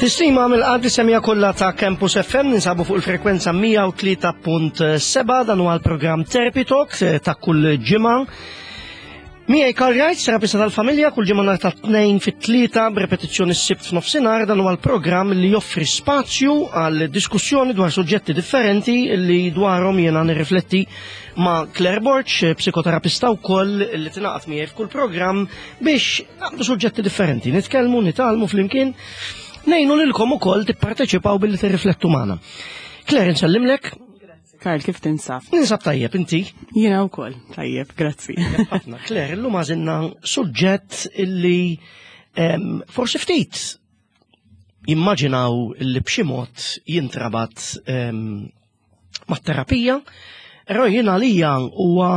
Tistima mill-qad li semija kollha ta' Campus FM ninsabu fuq il-frekwenza 103.7 dan huwa l-programm Therapy Talk eh, ta' kull ġimgħa. Miegħi Karl Wright, terapista tal-familja, kull ġimgħa nhar ta' tnejn fit-tlieta b'repetizzjoni s-sibt f'nofsinhar dan huwa l-programm li joffri spazju għal diskussjoni dwar suġġetti differenti li dwarhom jiena nirrifletti ma' Claire Borch, psikoterapista wkoll li tingħaqad miegħi f'kull programm biex naqbdu suġġetti differenti, nitkellmu, nitgħallmu flimkien, ngħinu lilkom ukoll tipparteċipaw billi tirriflettu magħna. Claire, nsellimlek. Karl, kif tinsab? Ninsab tajjeb, inti? Jiena wkoll, tajjeb, grazzi. Ħafna, Claire, illum għażilna suġġett illi forsi ftit jimmaġinaw li b'xi mod jintrabat mat-terapija, però jien għalija huwa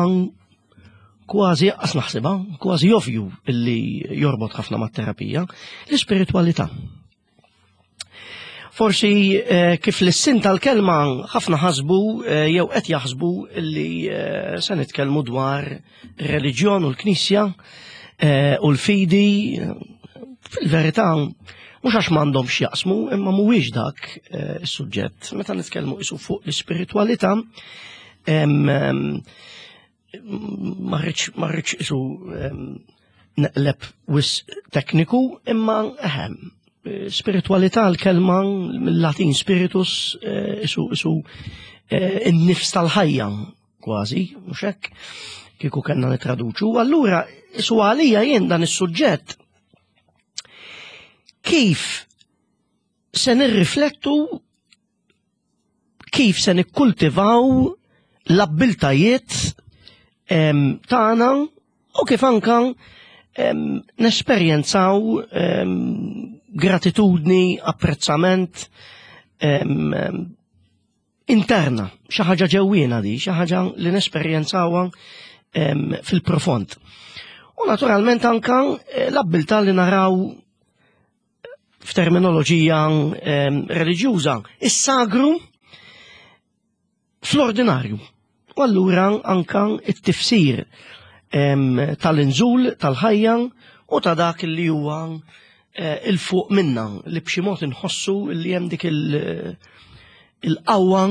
kważi qas naħsibha, kważi ovvju illi jorbot ħafna mat-terapija, l-ispiritwalità. Forsi eh, kif l-sin tal-kelma ħafna ħasbu eh, jew qed jaħsbu li eh, se nitkellmu dwar reliġjon u l-Knisja u l-fidi fil-verità mhux għax m'għandhomx jaqsmu, imma mhuwiex dak eh, is-suġġett. Meta nitkellmu isu fuq l-ispiritwalità, ma rridx isu neqleb wis tekniku, imma eħem, spiritualità l-kelma mill-Latin spiritus eh, isu isu eh, in-nifs tal-ħajja kważi, mhux hekk, kieku kellna nitraduċu. Allura, isu għalija jien dan is-suġġett kif se nirriflettu kif se nikkultivaw l-abbiltajiet tagħna u kif anka nesperjenzaw gratitudni, apprezzament interna, xi ħaġa ġewwiena di, xi ħaġa li nesperjenzawha fil-profond. U naturalment anka eh, l-abbiltà li naraw f'terminoloġija reliġjuża, is-sagru fl-ordinarju. U allura anka it-tifsir tal-inżul tal-ħajja u ta' dak li huwa eh, il-fuq minna li b'xi mod inħossu li hemm dik il-qawwa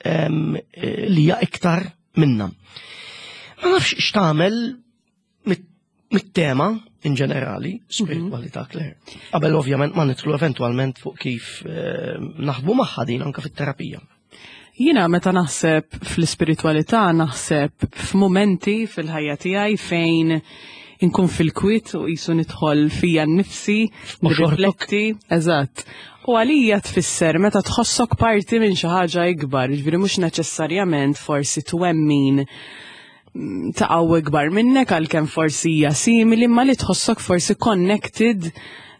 eh, li hija iktar minna. Ma nafx x'tagħmel mit-tema in ġenerali, spiritualità Claire. Qabel ovvjament ma nidħlu eventwalment fuq kif eh, naħdmu magħha din anke fit-terapija. Jiena meta naħseb fl-ispiritualità naħseb f'mumenti fil-ħajja tiegħi fejn inkun fil-kwit u jisu nidħol fija nnifsi, nirrifletti, eżatt. U għalija tfisser meta tħossok parti minn xi ħaġa ikbar, jiġifieri mhux neċessarjament forsi twemmin ta' qawwa ikbar minnek għalkemm forsi hija simili imma li tħossok forsi connected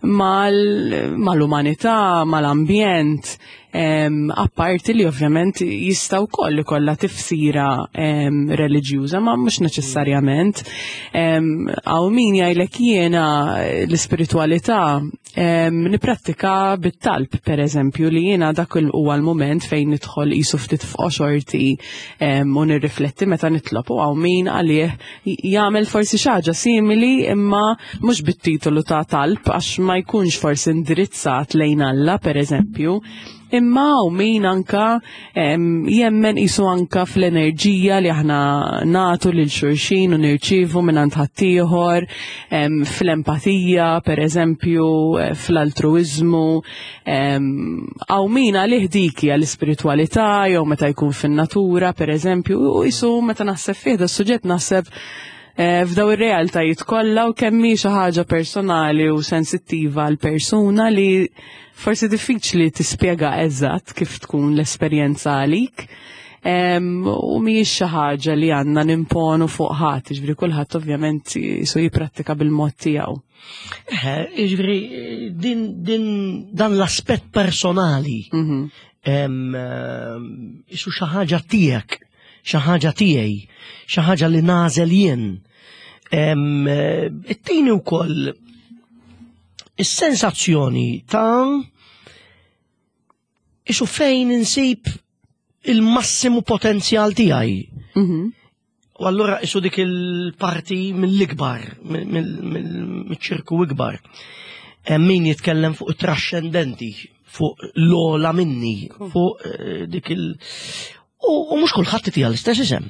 mal-umanità, mal-ambjent, apparti li ovvjament jista' wkoll ikollha tifsira reliġjuża, ma mhux neċessarjament. Hawn min jgħidlek jiena l-ispiritwalità Niprattika bit-talb, per eżempju, li jiena dak huwa l-mument fejn nidħol qisu ftit f'qoxorti u nirrifletti meta nitlob u hawn min għalih jagħmel forsi xi ħaġa simili imma mhux bit-titolu ta' talb għax ma jkunx forsi indirizzat lejn Alla, per eżempju, Imma u min anka jemmen isu anka fl-enerġija li aħna natu lil xulxin u nirċivu minn għand ħaddieħor, fl-empatija, per eżempju, eh, fl-altruizmu, għaw min għalih dik hija l-ispiritwalità jew meta jkun fin-natura, per eżempju, u isu meta naħseb fih da suġġett naħseb eh, f'daw ir-realtajiet kollha u kemm hi xi ħaġa personali u sensittiva għal persuna li Forsi diffiċli tispjega eżatt kif tkun l-esperjenza għalik. U mhijiex xi ħaġa li għandna nimponu fuq ħadd, jiġifieri kulħadd ovvjament jisu jipprattika bil-mod tiegħu. Jiġifieri din, din dan l-aspett personali mhm. jisu xi ħaġa tiegħek, xi ħaġa tiegħi, xi ħaġa li nagħżel jien. It-tieni wkoll is-sensazzjoni ta' isu fejn insib il-massimu potenzjal tiegħi. Mhm. U allura isu dik il-parti mill-ikbar, mill-ċirku ikbar. Hemm min jitkellem fuq it-traxxendenti, fuq l-ola minni, fuq eh, dik il- U mhux kulħadd itiha l-istess isem.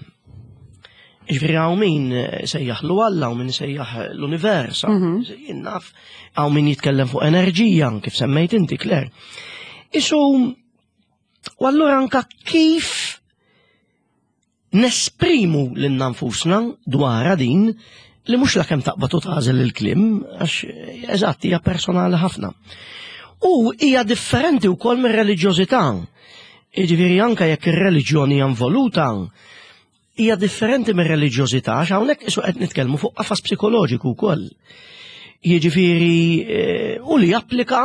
Ġifieri hawn min eh, sejjaħ lu Alla, hawn min sejjaħ l-univers, mhm. jien naf, hawn min jitkellem fuq enerġija, kif semmejt inti, Claire. Isu, u allura anka kif nesprimu lilna nfusna dwarha din li mhux lakemm taqbad u tagħżel il-kliem għax eżatt hija personali ħafna. U hija differenti wkoll mir-reliġjożità. Jiġifieri anke jekk ir-reliġjoni hija involuta, hija differenti mir-reliġjożità għax hawnhekk isu qed nitkellmu fuq qafas psikoloġiku wkoll. Jiġifieri eh, u li japplika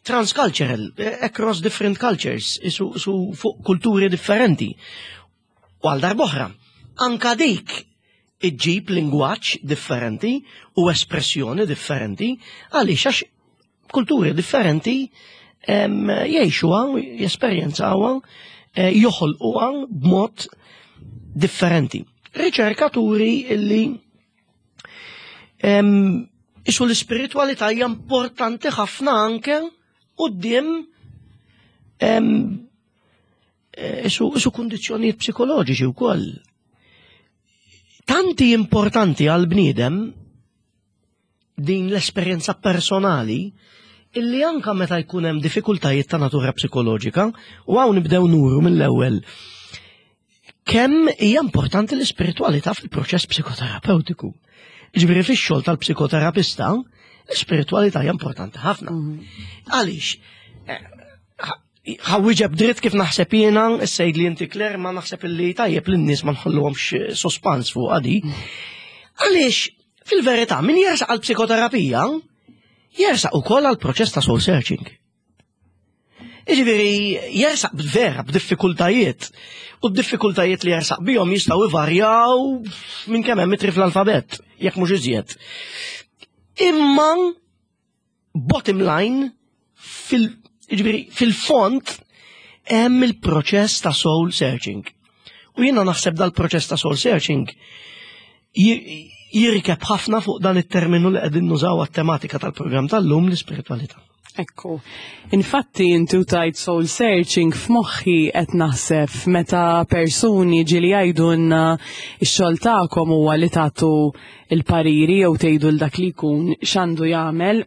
transcultural, across different cultures, su, su fuq kulturi differenti. U għal darboħra, anka dik iġġib lingwaġġ differenti u espressjoni differenti għaliex għax kulturi differenti jgħixuha, jesperjenzawha, eh, joħolquha b'mod differenti. Riċerkaturi illi Isu l-ispiritualità hija importanti ħafna anke quddiem isu, isu kundizzjonijiet psikoloġiċi wkoll. Tanti importanti għal bniedem din l-esperjenza personali illi anka meta jkun hemm diffikultajiet ta' natura psikoloġika u hawn nibdew nuru mill-ewwel kemm hija importanti l-ispiritualità fil-proċess psikoterapeutiku. Ġifieri fix-xogħol tal-psikoterapista, l-ispiritualità hija importanti ħafna. Mhm. Għaliex, eh, ħawwiġeb dritt kif naħseb jiena, s-sejd li inti Kler, ma naħseb li tajjeb li n-nies ma nħalluhomx sospans fuq għadi. Mhm. Għaliex, fil-verità, min jersaq għal psikoterapija, jersaq ukoll għal proċess ta' soul searching. Jiġifieri jersaq vera b'diffikultajiet. U d-diffikultajiet li jersaq bihom jistgħu ivarjaw minn kemm hemm mitri fl-alfabett, jekk mhux iżjed. Imma bottom line fil jiġifieri fil-fond hemm il-proċess ta' soul searching. U jiena naħseb dal-proċess ta' soul searching jirkeb ħafna fuq dan it-terminu li qegħdin nużaw għat-tematika tal-programm tal-lum l-ispiritualità. Ekku. Infatti inti u tajt soul searching f'moħħi qed naħseb meta persuni ġieli jgħidulna x-xogħol tagħkom huwa li tagħtu il-pariri jew tgħidu l dak li jkun x'għandu jagħmel.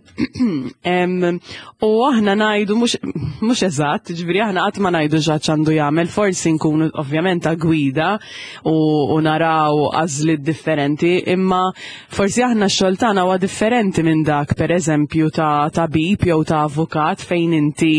U aħna ngħidu mhux eżatt, ġifieri aħna qatt ma ngħidu x'għad x'għandu jagħmel, forsi nkunu ovvjament ta' gwida u, u naraw għażliet differenti, imma forsi aħna x-xogħol tagħna huwa differenti minn dak pereżempju ta' tabib jew ta' avukat fejn inti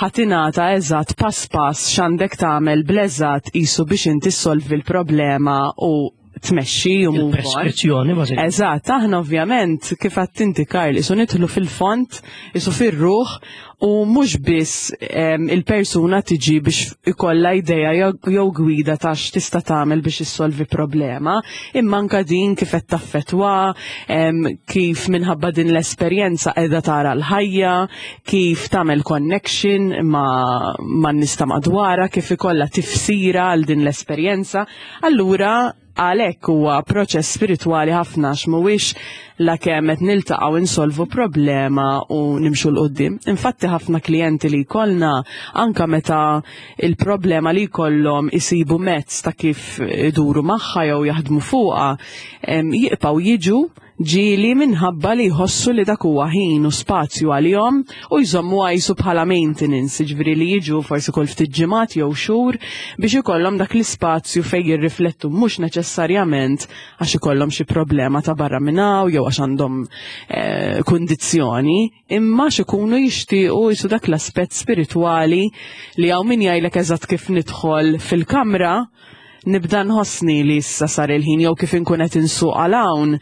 ħatinata eżatt pass pass x'għandek tagħmel bl-eżatt qisu biex inti ssolvi l-problema u tmexxi u move on. Preskrizzjoni, bażikament. Eżatt, aħna ovvjament kif għadt inti Karl, isu nidħlu fil-fond, isu fir-ruħ u mhux biss il-persuna tiġi biex ikollha idea jew gwida ta' x'tista' tagħmel biex issolvi problema, imma anka din kif qed taffettwa, kif minħabba din l-esperjenza qiegħda tara l-ħajja, kif tagħmel connection ma' man-nies ta' madwarha, kif ikollha tifsira għal din l-esperjenza. Allura għalhekk huwa proċess spiritwali ħafna għax mhuwiex lakemm qed niltaqgħu insolvu problema u nimxu 'l quddiem. Infatti ħafna klijenti li jkollna anka meta il-problema li jkollhom isibu mezz ta' kif iduru magħha jew jaħdmu fuqha, jibqgħu jiġu ġieli minħabba li jħossu li dak huwa ħin u spazju għalihom u jżommuha qisu bħala maintenance, jiġifieri li jiġu forsi kull ftit ġimgħat jew xhur biex ikollhom dak l-ispazju fejn jirriflettu mhux neċessarjament għax ikollhom xi problema ta' barra minn hawn jew għax għandhom eh, kundizzjoni, imma għax ikunu jixtiequ jisu dak l-aspett spiritwali li hawn min jgħidlek eżatt kif nidħol fil-kamra nibda nħossni li issa sar il-ħin jew kif inkun qed insuq għal hawn,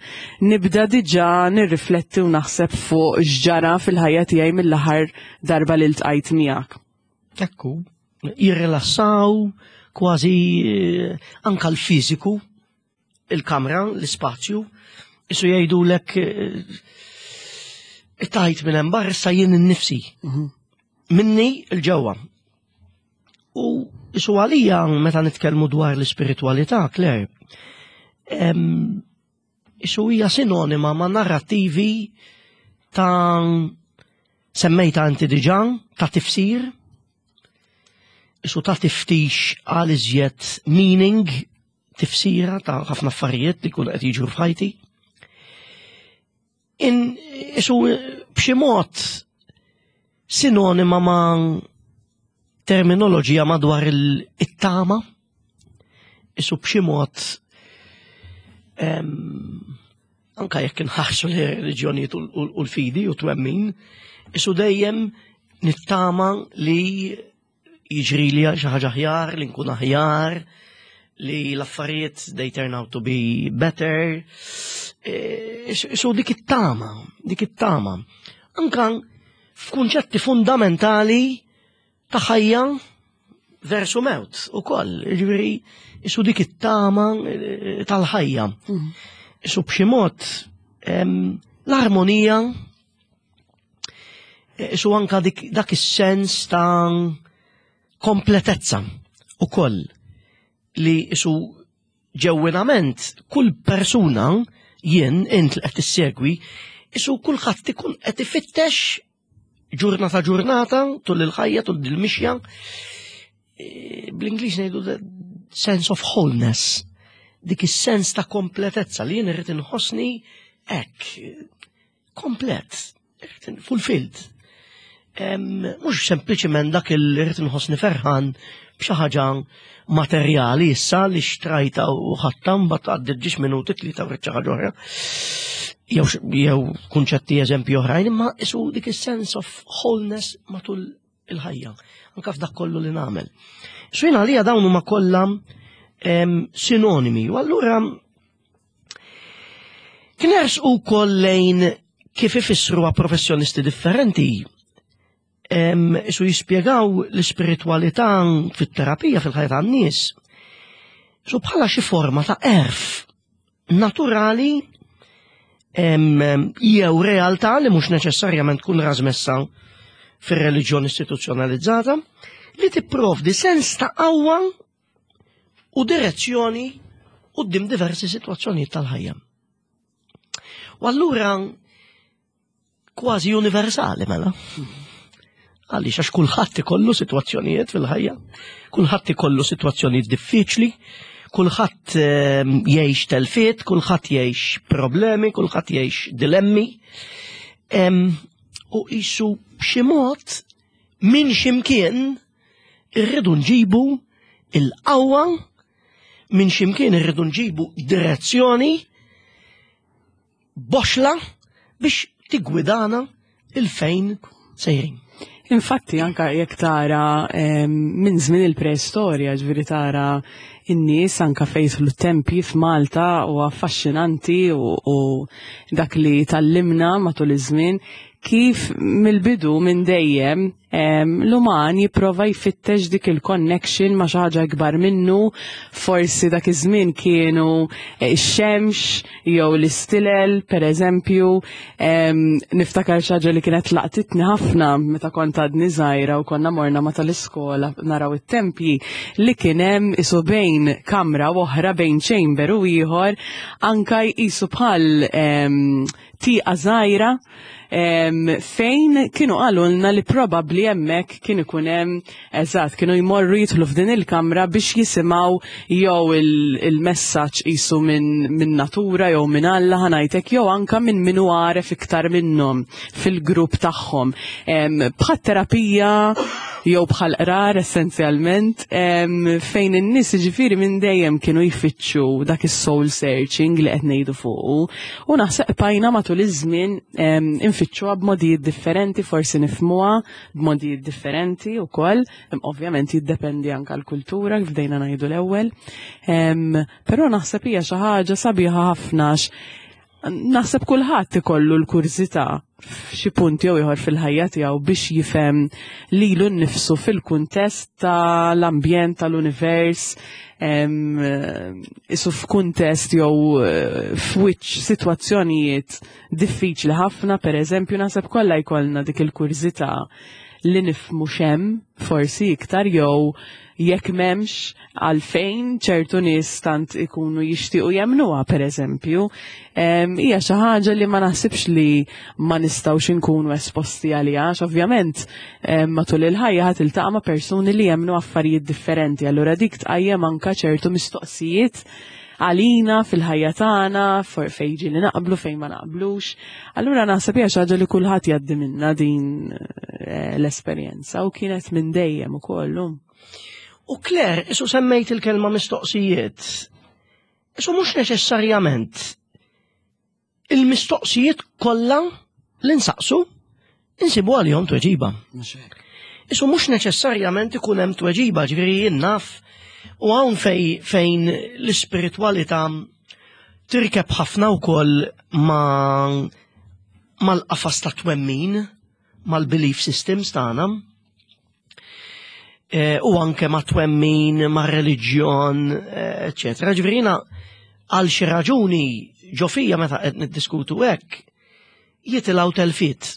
nibda diġà nirrifletti u naħseb fuq x'ġara fil-ħajja tiegħi mill-aħħar darba li ltqajt miegħek. Ekku, jirrilassaw kważi eh, anka l-fiżiku, il-kamra, l-ispazju, isu jgħidulek eh, tajt minn hemm barra issa jien innifsi. Mhm. Minni l-ġewwa. U isu għalija meta nitkellmu dwar l-ispiritualità, Claire, isu hija sinonima ma' narrativi Ta' semmejta inti diġà, ta' tifsir, isu ta' tiftix għal iżjed meaning, tifsira ta' ħafna affarijiet li jkunu qed jiġru f'ħajti. In isu b'xi mod sinonima ma' terminoloġija madwar it-tama, isu b'xi mod anka jekk inħarsu li reliġjonijiet u l-fidi u twemmin, isu dejjem nittama li jiġri li xi ħaġa aħjar, li nkun aħjar, li l-affarijiet they turn out to be better. E, isu dik it-tama, dik it-tama. Anka f'kunċetti fundamentali ta' ħajja versu mewt u koll, ġifieri, isu dik it-tama eh, tal-ħajja. Isu b'xi mod l-armonija eh, isu anka dak is-sens ta' kompletezza u koll li isu ġewwinament kull persuna jien int li qed tissegwi isu kulħadd ikun qed ifittex ġurnata ġurnata tul il-ħajja tul il-mixja e, bl-Ingliż ngħidu the sense of wholeness dik is-sens ta' kompletezza li jien irrid inħossni hekk komplet fulfilled. Mhux sempliċement dak il irrid inħossni ferħan b'xi ħaġa materjali issa li xtrajta u ħatta mbagħad għaddiet ġiex minuti tlieta u xi ħaġa oħra. Jew jew kunċetti eżempji oħrajn, imma isu dik is-sense of wholeness matul il-ħajja, anka f'dak kollu li nagħmel. So jien għalija dawn huma kollha sinonimi, u allura kien u koll lejn kif ifissruha professjonisti differenti Isu jispjegaw l-ispiritwalità fit-terapija fil-ħajja tan-nies. Su bħala xi forma ta' erf naturali jew realtà li mhux neċessarjament tkun rażmessa fir-reliġjon istituzzjonalizzata li tipprovdi sens ta' qawwa u direzzjoni quddiem diversi sitwazzjonijiet tal-ħajja. U allura kważi universali mela. Għaliex għax kulħadd ikollu sitwazzjonijiet fil-ħajja, kulħadd ikollu sitwazzjonijiet diffiċli, kulħadd ehm, jgħix telfiet, kulħadd jgħix problemi, kulħadd jgħix dilemmi. Ehm, u qisu b'xi mod minn ximkien irridu nġibu il-qawwa minn ximkien irridu nġibu direzzjoni boxla biex tiggwidana il-fejn sejrin. Infatti anka jekk tara minn żmien il-preistorja, ġifieri tara in-nies anka fejn l tempji f'Malta u affaxxinanti u, u dak li tallimna matul iż-żmien kif mill-bidu minn dejjem l-uman jipprova jfittex dik il-connection ma' xi ħaġa ikbar minnu, forsi dak iż-żmien kienu eh, x-xemx jew l-istilel, per eżempju, niftakar xi ħaġa li kienet laqtitni ħafna meta kont għadni żgħira u konna morna ma tal-iskola naraw it-tempji li kien hemm isu bejn kamra u oħra bejn chamber u ieħor anka jqisu bħal tieqa żgħira fejn kienu qalulna li probabbli hemmhekk kien ikun hemm eżatt kienu jmorru jidħlu f'din il-kamra biex jisimgħu jew il-messaġġ qisu minn min natura jew minn Alla ħanajtek jew anka minn min hu għaref iktar minnhom fil-grupp tagħhom. Bħal terapija jew bħal qrar essenzjalment fejn in-nies jiġifieri minn dejjem kienu jfittxu dak is-soul searching li qed ngħidu fuqu u naħseb bqajna matul iż-żmien infittxuha b'modijiet differenti, forsi nifhmuha b'modijiet differenti wkoll, ovvjament jiddependi anke l-kultura kif bdejna ngħidu l-ewwel. Però naħseb hija xi ħaġa sabiħa ħafna naħseb kulħadd ikollu l-kurżità f'xi punt jew ieħor fil-ħajja tiegħu biex jifhem lilu nnifsu fil-kuntest tal-ambjent tal-univers isu f'kuntest jew eh, f'wiċċ sitwazzjonijiet diffiċli ħafna, pereżempju naħseb kollha jkollna dik il-kurżità li nifhmu x'hemm forsi iktar jew Jekk m'hemmx għalfejn ċertu nies tant ikunu jixtiequ jemmnuha pereżempju, hija xi ħaġa li ma naħsibx li ma nistgħux inkunu esposti għaliha, għax ovvjament matul il-ħajja ħa tiltaqa' ma' persuni li jemmnu affarijiet differenti, allura dik tqajjem anka ċertu mistoqsijiet għalina fil-ħajja tagħna, fejn ġieli naqblu, fejn ma naqblux. Allura naħseb hija xi ħaġa li kulħadd jgħaddi minna din eh, l-esperjenza u kienet minn dejjem ukoll. U Claire, isu semmejt il-kelma mistoqsijiet. Isu mhux neċessarjament il-mistoqsijiet kollha li nsaqsu insibu għalihom tweġiba. Isu mhux neċessarjament ikun hemm tweġiba, ġifieri jien naf u hawn fej, fejn l-ispiritwalità tirkeb ħafna wkoll ma mal-qafas ta' twemmin, mal-belief systems tagħna. Eh, u anke ma' twemmin, ma' reliġjon, eh, eccetera. Ġifieri għal xi raġuni ġo fija meta qed niddiskutu hekk jitilgħu telfiet.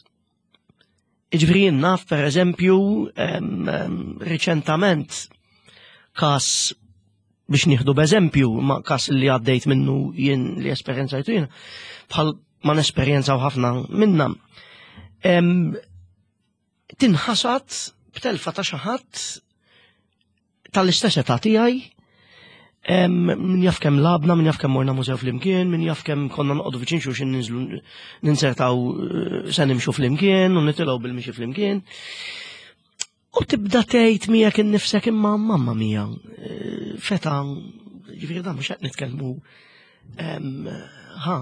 Ġifieri jien naf pereżempju riċentament kas biex nieħdu b'eżempju ma kas li għaddejt minnu jien li esperjenzajtu jien bħal ma nesperjenzaw ħafna minna. Tinħasad b'telfa ta' xi ħadd tal-istess età tiegħi min jaf kemm labna, min jaf kemm morna mużew flimkien, min jaf kemm konna noqogħdu viċin xulxin ninżlu ninsertaw eh, se nimxu flimkien u nitilgħu bil-mixi flimkien. U tibda tgħid miegħek innifsek imma mamma mija, eh, feta ġifieri dan mhux qed nitkellmu ha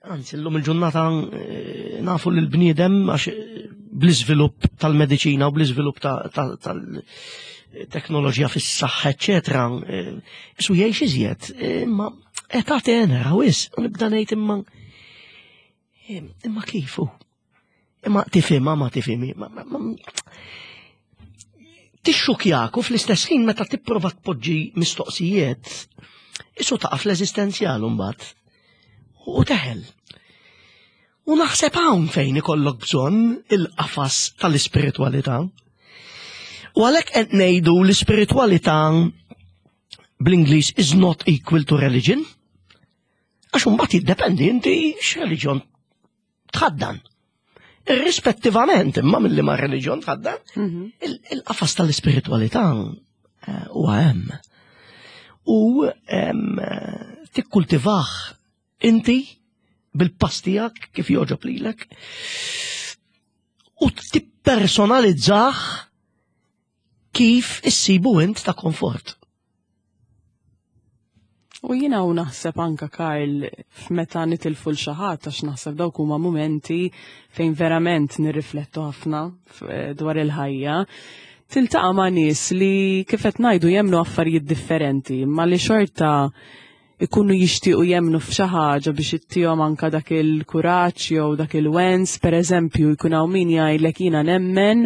Anzi, l-lum il-ġurnata eh, nafu li l-bniedem għax eh, bl-iżvilupp tal-mediċina u bl-iżvilupp tal-teknoloġija fis-saħħa, eċetera, eh, isu jgħix iżjed, imma età tenera wis, u nibda ngħid imma imma kifu? Imma tifhimha ma tifhimi. Tixxukjak u fl-istess ħin meta tipprova tpoġġi mistoqsijiet, isu taqa' fl-eżistenzjal mbagħad. U teħel. U naħseb hawn fejn ikollok bżonn il-qafas tal-ispiritwalità. U għalhekk qed ngħidu l-ispiritwalità bl-Ingliż is not equal to religion. Għax imbagħad jiddependi inti x'reliġjon tħaddan. Irrispettivament imma mill ma reliġjon tħaddan, mhm. il-qafas tal-ispiritualità eh, huwa hemm. U tikkultivah inti bil-pass tiegħek kif joġob lilek u tippersonalizzah kif issibu int ta' komfort. U jiena u naħseb anka Karl f'meta nitilfu l xi ħadd għax naħseb dawk huma mumenti fejn verament nirriflettu ħafna eh, dwar il-ħajja. Tiltaqa' ma' nies li kif qed ngħidu jemmnu affarijiet differenti, ma li xorta ikunu jixtiequ jemmnu f'xi ħaġa biex ittihom anka dak il-kuraġġ jew dak il-wens, pereżempju jkun hawn min jgħidlek jiena nemmen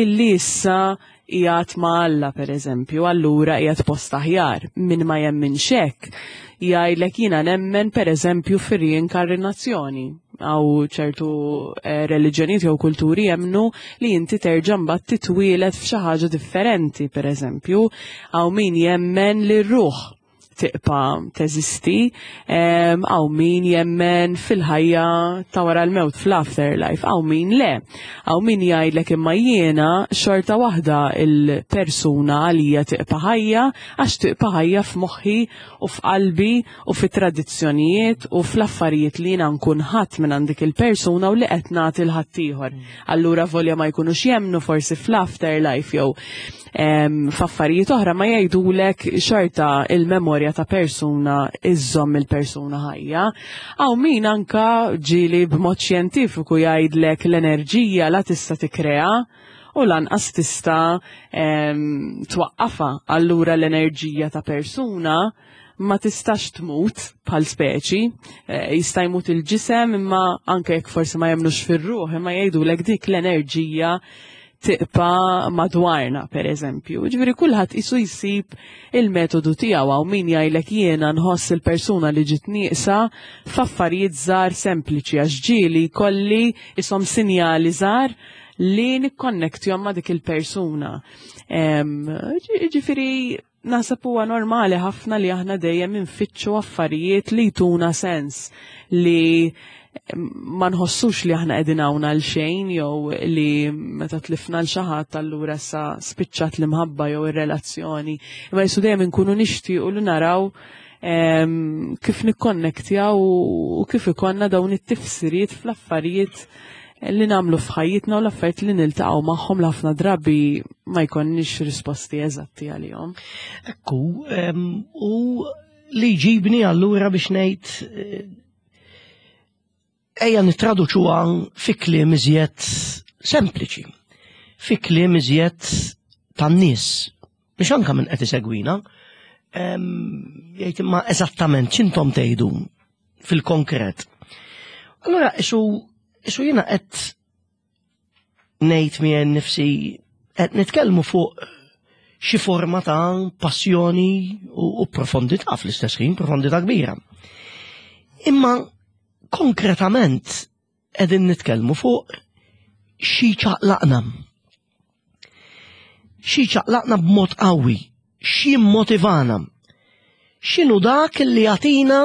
illi issa qiegħed ma' Alla pereżempju, allura qiegħed post aħjar. Min ma jemminx hekk jgħidlek jiena nemmen pereżempju fir-riinkarnazzjoni. Għaw ċertu eh, reliġjonijiet jew kulturi jemmnu li inti terġa' mbagħad titwielet f'xi ħaġa differenti, pereżempju, hawn min jemmen li r-ruħ tiqpa teżisti, hawn min jemmen fil-ħajja ta' wara l-mewt fl-afterlife, hawn min le. Hawn min jgħidlek imma jiena xorta waħda il-persuna għalija tiqpa ħajja għax tiqpa ħajja f'moħħi u f'qalbi u fit-tradizzjonijiet u fl-affarijiet li jiena nkun ħadd minn għand dik il-persuna u li qed nagħti l ħaddieħor. Allura volja ma jkunux jemmnu forsi fl-afterlife jew f'affarijiet oħra ma jgħidulek xorta il-memorja ta' persuna iżżomm il-persuna ħajja. Hawn min anka ġieli b'mod xjentifiku jgħidlek l-enerġija la tista' tikkrea u lanqas tista' twaqqafha. Allura l-enerġija ta' persuna ma tistax tmut bħal speċi, eh, jista' jmut il-ġisem imma anke jekk forsi ma jemnux fir-ruħ, imma jgħidulek dik l-enerġija tiqpa madwarna, per eżempju. Ġifieri kulħadd isu jsib il-metodu tiegħu hawn min jgħidlek jiena nħoss il-persuna li ġiet nieqsa f'affarijiet żgħar sempliċi għax ġieli kolli ishom sinjali żgħar. li nikkonnektjhom ma' dik il-persuna. Ġifieri naħseb huwa normali ħafna li aħna dejjem infittxu affarijiet li jtuna sens li ma nħossux li aħna qegħdin hawn għal xejn jew li meta tlifna l xi ħadd allura sa spiċċat l-imħabba jew ir-relazzjoni. Imma jisu dejjem inkunu nixtiequ li naraw kif nikkonnektjaw u kif ikonna dawn it-tifsiriet fl-affarijiet li nagħmlu f'ħajjitna u l-affarijiet li niltaqgħu magħhom li ħafna drabi ma jkollniex risposti eżatti għalihom. Ekku, u li jġibni allura biex ngħid eh, ejja nittraduċuha fi kliem iżjed sempliċi, fi kliem iżjed tan-nies, biex anka minn qed isegwina, jgħid imma eżattament x'intom tgħidu fil-konkret. Allora isu isu jiena qed ngħid miegħi nnifsi qed nitkellmu fuq xi forma ta' passjoni u, u profondità fl-istess ħin, profondità kbira. Imma konkretament qegħdin nitkellmu fuq xi ċaqlaqna. Xi ċaqlaqna b'mod qawwi, xi motivana. X'inhu dak li jagħtina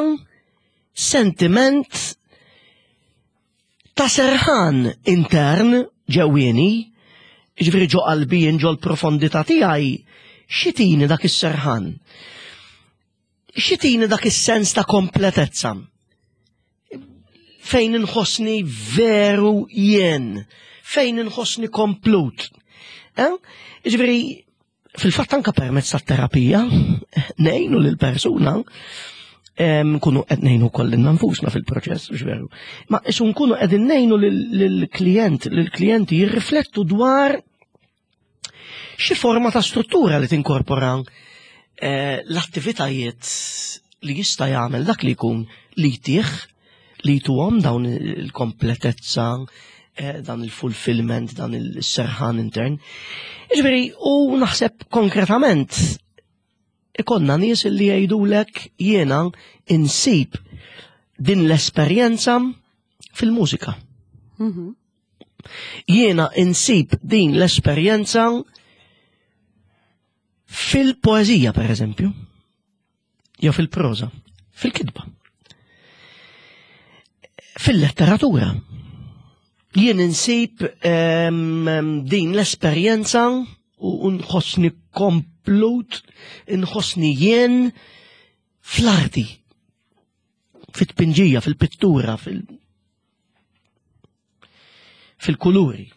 sentiment ta' serħan intern ġewwieni, ġifieri ġo qalbi jien ġo l-profondità tiegħi, xitini dak is-serħan? Xitini dak is-sens ta' kompletezza? Fejn inħossni veru jien, fejn inħossni komplut. Eh? Ġifieri, fil-fatt anka permezz tat-terapija ngħinu lil persuna nkunu qed ngħinu wkoll lilna nfusna fil-proċess, mhux veru. Ma isu nkunu qegħdin ngħinu lill-klijent, lill-klijenti jirriflettu dwar xi forma ta' struttura li tinkorpora eh, l-attivitajiet li jista' jagħmel dak li jkun li jtih li jtuhom dawn il-kompletezza, eh, dan il-fulfillment, dan il-serħan intern. Iġveri, u naħseb konkretament ikonna nies li jgħidulek jiena insib din l-esperjenza fil-mużika. Mhm. Jiena insib din l-esperjenza fil-poezija, per eżempju. jew fil-proża, fil-kitba. Fil-letteratura. Jien insib ehm, din l-esperjenza u nħossni komplut, nħossni jien fl-arti, fit-tpinġija, fil-pittura, fil- fil-kuluri.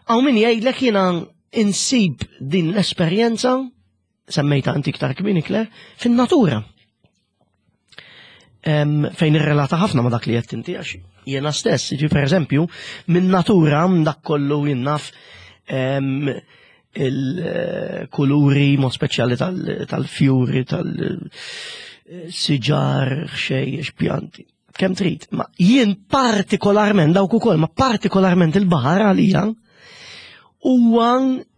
Għaw min jgħidlek jiena insib din l-esperjenza semmejta inti iktar kmieni Claire, fin-natura. Fejn irrelata ħafna ma dak li qed inti għax jiena stess, ġi per eżempju, minn natura dak kollu jinnaf il-kuluri mod speċjali tal-fjuri, tal-siġar, xejjex, pjanti. Kemm trid, ma jien partikolarment dawk ukoll, ma partikolarment il-baħar għalija huwa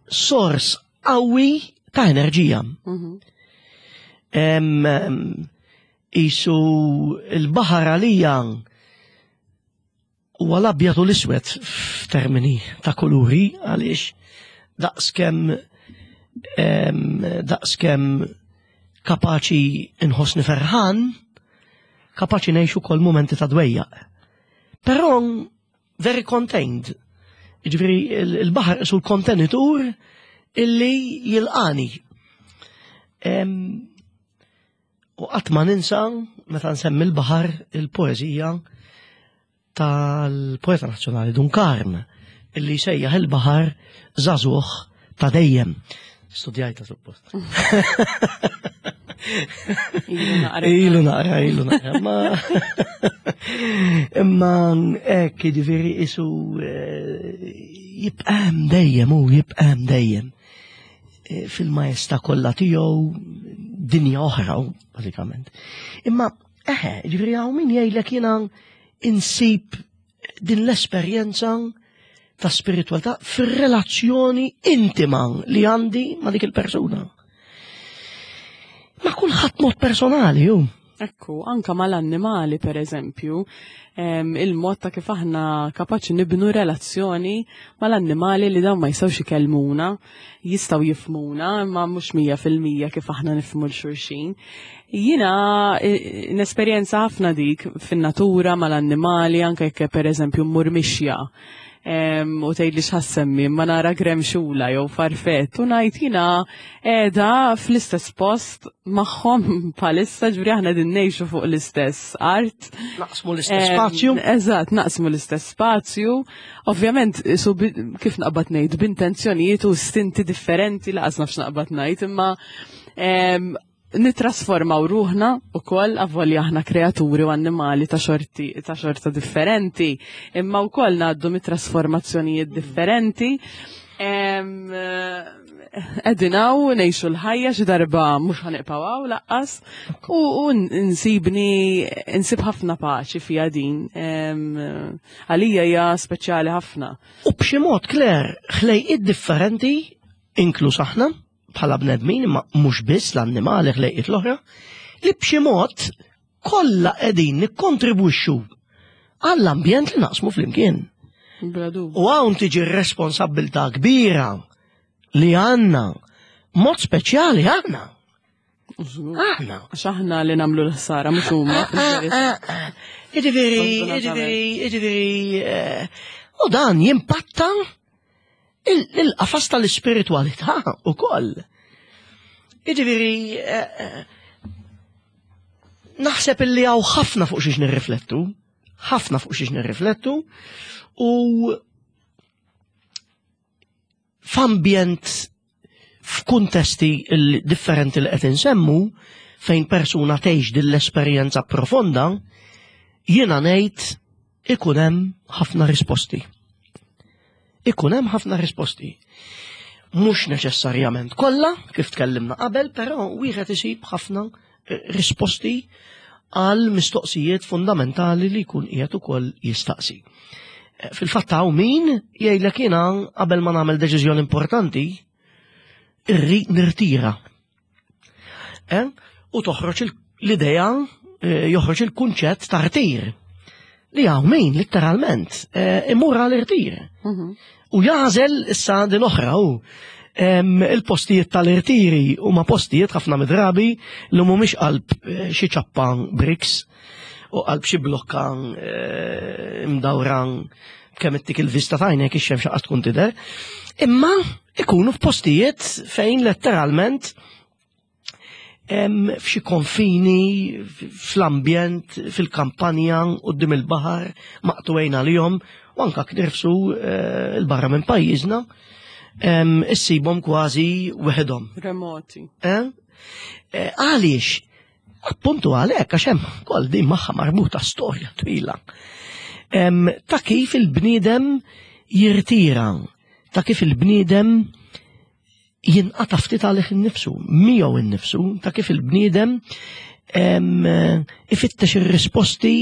sors qawwi ta' enerġija. Mhm. Isu il-baħar għalija huwa l-abjad u l-iswed f'termini ta' kuluri għaliex daqskemm daqskemm kapaċi nħossni ferħan, kapaċi ngħix ukoll mumenti ta' dwejjaq. Però very contained. Ġifieri il-baħar isu l-kontenitur illi jilqani. U qatt ma ninsa meta nsemmi l-baħar il-poeżija tal-poeta nazzjonali Dun Karm illi sejjaħ il-baħar żagħżugħ ta' dejjem. Studjajta suppost. Ilu naqra, ilu naqra. Ma imma hekk jiġifieri isu eh, jibqa' hemm dejjem u jibqa' hemm dejjem. Eh, fil-majesta kollha tiegħu dinja oħra bażikament. Imma eħe, ġifieri hawn min jgħidlek jiena insib din l-esperjenza ta' spiritualità fir-relazzjoni intima li għandi ma' dik il-persuna. Ma' kulħadd mod personali, ju. Ekku, anka mal-annimali per eżempju, il-mod ta' kif aħna kapaċi nibnu relazzjoni mal-annimali li dawn ma jistgħux ikellmuna, jistgħu jifhmuna, imma mhux 100% kif aħna nifhmu 'l xulxin. Jiena nesperjenza ħafna dik fin-natura mal-annimali, anke jekk per eżempju mmur mixja u tgħidli x'ħa ssemmi, ma nara gremxula jew farfett u ngħid jiena qiegħda fl-istess post magħhom bħalissa, ġifieri aħna din ngħixu fuq l-istess art. Naqsmu l-istess spazju. Eżatt, naqsmu l-istess spazju. Ovvjament, su kif naqbad ngħid b'intenzjonijiet u istinti differenti laqas nafx naqbad ngħid, imma nitrasformaw ruħna u koll avolja aħna kreaturi u annimali ta' xorti ta' xorta differenti, imma wkoll ngħaddu mit-trasformazzjonijiet differenti. Qegħdin hawn ngħixu l-ħajja xi darba mhux ħa nibqgħu hawn lanqas u nsibni nsib ħafna paċi fiha din. Għalija hija speċjali ħafna. U b'xi mod, Claire, ħlejqiet differenti, inkluż aħna, bħala bnedmin, imma mhux biss l-annimali ħlejqiet l-oħra, li b'xi mod kollha qegħdin nikkontribwixxu għall-ambjent li naqsmu flimkien. U hawn tiġi r-responsabbiltà kbira li għandna, mod speċjali aħna. Aħna. Għax aħna li nagħmlu l-ħsara mhux huma. Jiġifieri, jiġifieri, jiġifieri, u dan jimpatta il-qafas tal-ispiritualità ukoll. Jiġifieri, naħseb illi hawn ħafna fuq xiex nirriflettu, ħafna fuq xiex nirriflettu, u f'ambjent f'kuntesti differenti li qed insemmu fejn persuna tgħix din l-esperjenza profonda, jiena ngħid ikun hemm ħafna risposti. Ikun hemm ħafna risposti. Mhux neċessarjament kollha, kif tkellimna qabel, però wieħed isib ħafna risposti għal mistoqsijiet fundamentali li jkun qiegħed ukoll jistaqsi. Fil-fatt hawn min jgħidlek jiena qabel ma nagħmel deċiżjoni importanti, irrid nirtira. U toħroġ l-idea, joħroġ il-kunċett ta' rtir. Li hawn min letteralment imur għal irtir. U jagħżel issa din oħra hu. Il-postijiet tal-irtiri huma postijiet ħafna midrabi li mhumiex qalb xi ċappa bricks u qalb xi blokka mdawra kemm ittik il-vista tajnek ix-xemx qas tkun tidher. Imma ikunu f'postijiet fejn letteralment f'xi konfini, fl-ambjent, fil-kampanja, quddiem il-baħar, maqtugħin għalihom, u anka knirfsu il-barra minn pajjiżna, issibhom kważi weħidhom. Remoti. Għaliex? Appuntu għalhekk, għax hemm ukoll din magħha marbuta storja twila. Ta' kif il-bniedem jirtira, ta' kif il-bniedem jinqata' ftit għalih innifsu, miegħu innifsu, ta' kif il-bniedem ifittex ir-risposti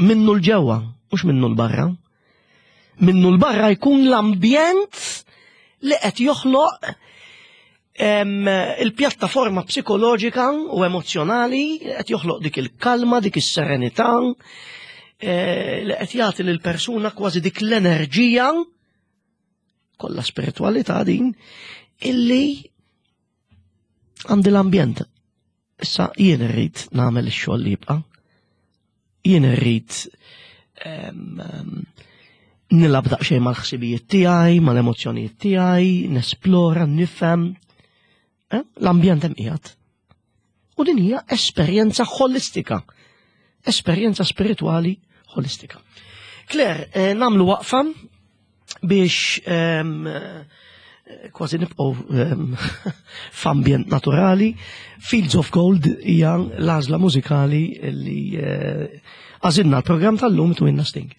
minnu l-ġewwa, mhux minnu l-barra. Minnu l-barra jkun l-ambjent li qed joħloq il-pjattaforma psikoloġika u emozjonali, qed joħloq dik il-kalma, dik is-serenità, li qed jagħti lill-persuna kważi dik l-enerġija kollha spiritualità din illi għandi l-ambjent. Issa jien irrid nagħmel ix-xogħol li jibqa'. Jien irrid nilgħab daqsxejn mal-ħsibijiet tiegħi, mal-emozzjonijiet tiegħi, nesplora, nifhem. L-ambjent hemm qiegħed. U din hija esperjenza ħolistika, esperjenza spirituali ħolistika. Claire, nagħmlu waqfa biex kważi nibqgħu f'ambjent naturali. Fields of Gold hija l-għażla mużikali li għażilna l-programm tal-lum Twinna Sting.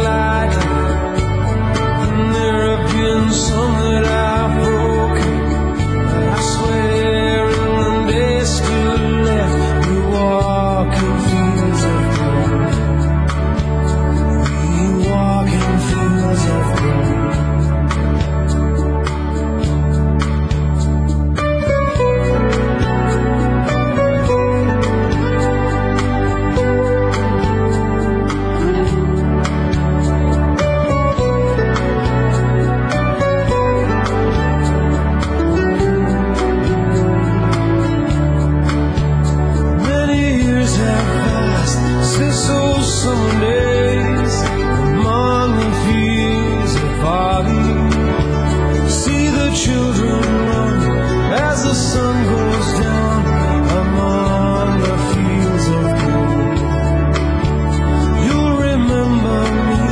lightly, and there have been some that I've broken. But I swear in the days still left, we walk in fields of gold. We walk in fields of gold. Many years have passed since those summer days among the fields of barley. See the children run as the sun goes down among the fields of gold. You'll remember me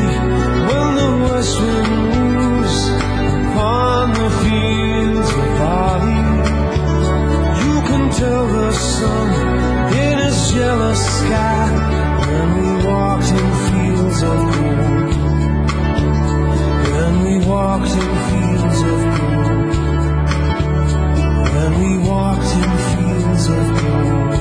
when the west wind moves upon the fields of barley. You can tell the sun in his jealous sky when we walked in fields of gold. When we walked in fields of gold. When we walked in fields of gold.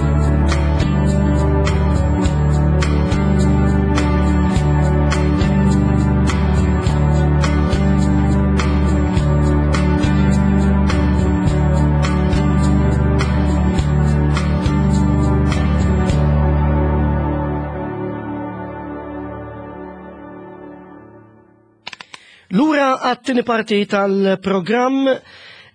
Lura għat-tieni parti tal-programm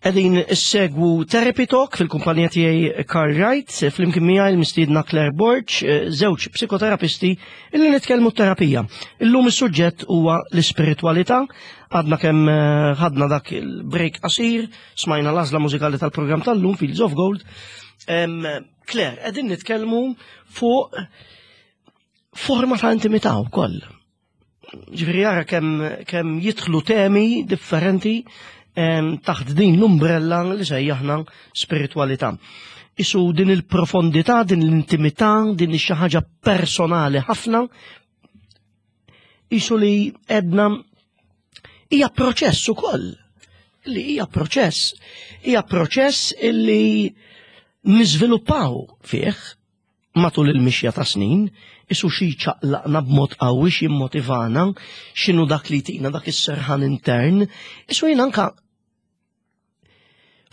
qegħdin issegwu Therapy Talk fil-kumpanija tiegħi Carl Wright, flimkien miegħi l-mistiedna Claire Borg, żewġ psikoterapisti illi nitkellmu terapija. Illum is-suġġett huwa l-ispiritwalità, għadna kemm ħadna dak il-break qasir, smajna l-għażla mużikali tal-programm tal-lum Fields of Gold. Claire, qegħdin nitkellmu fuq forma ta' intimità wkoll. Ġifieri jara kemm jidħlu temi differenti taħt din l-umbrella li sejjaħna spiritualità. Isu din il-profondità, din l-intimità, din xi ħaġa personali ħafna, isu li edna hija proċess ukoll. Li hija proċess, hija proċess illi niżviluppaw fih matul il-mixja ta' snin, isu xi ċaqlaqna b'mod qawwi, xi motivana, x'inhu dak li tina dak is-serħan intern, isu jien anka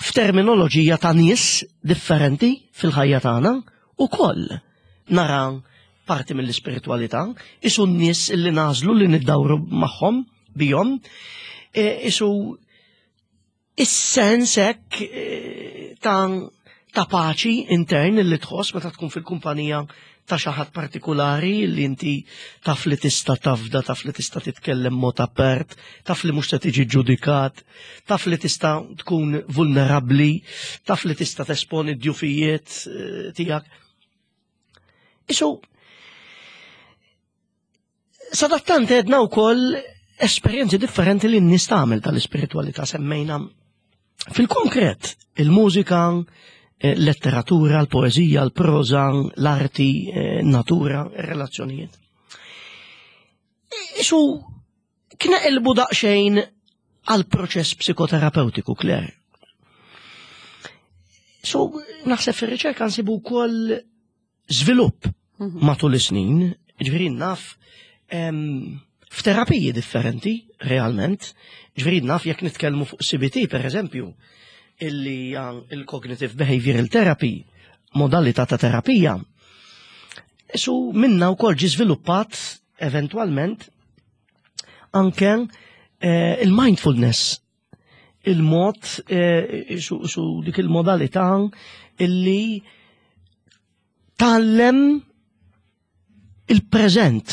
f'terminoloġija ta' nies differenti fil-ħajja tagħna ukoll nara parti mill-ispiritwalità, isu n-nies li nażlu li niddawru magħhom bihom, isu is-sens hekk ta' paċi intern li tħoss meta tkun fil-kumpanija ta' xi ħadd partikulari li inti taf li tista' tafda, taf li tista' titkellem mod apert, taf li mhux se tiġi ġudikat, taf li tista' tkun vulnerabbli, taf li tista' tesponi d-djufijiet tiegħek. Isu, sadattant għedna wkoll esperjenzi differenti li n-nies tagħmel tal-ispiritwalità, semmejna fil-konkret il-mużika, letteratura, l-poeżija, l-proża, l-arti, natura, relazzjonijiet. Isu kneqilbu daqsxejn għal proċess psikoterapeutiku, Claire. So, naħseb fir-riċerka nsibu wkoll żvilupp matul is-snin, ġifieri naf f'terapiji differenti, realment, ġifieri naf jekk nitkellmu fuq CBT, per eżempju, illi hija il-Cognitive Behavioral Therapy, modalità ta' terapija. Isu minna wkoll ġi żviluppat eventwalment anke il-mindfulness, il-mod su dik il-modalità illi tgħallem il-preżent,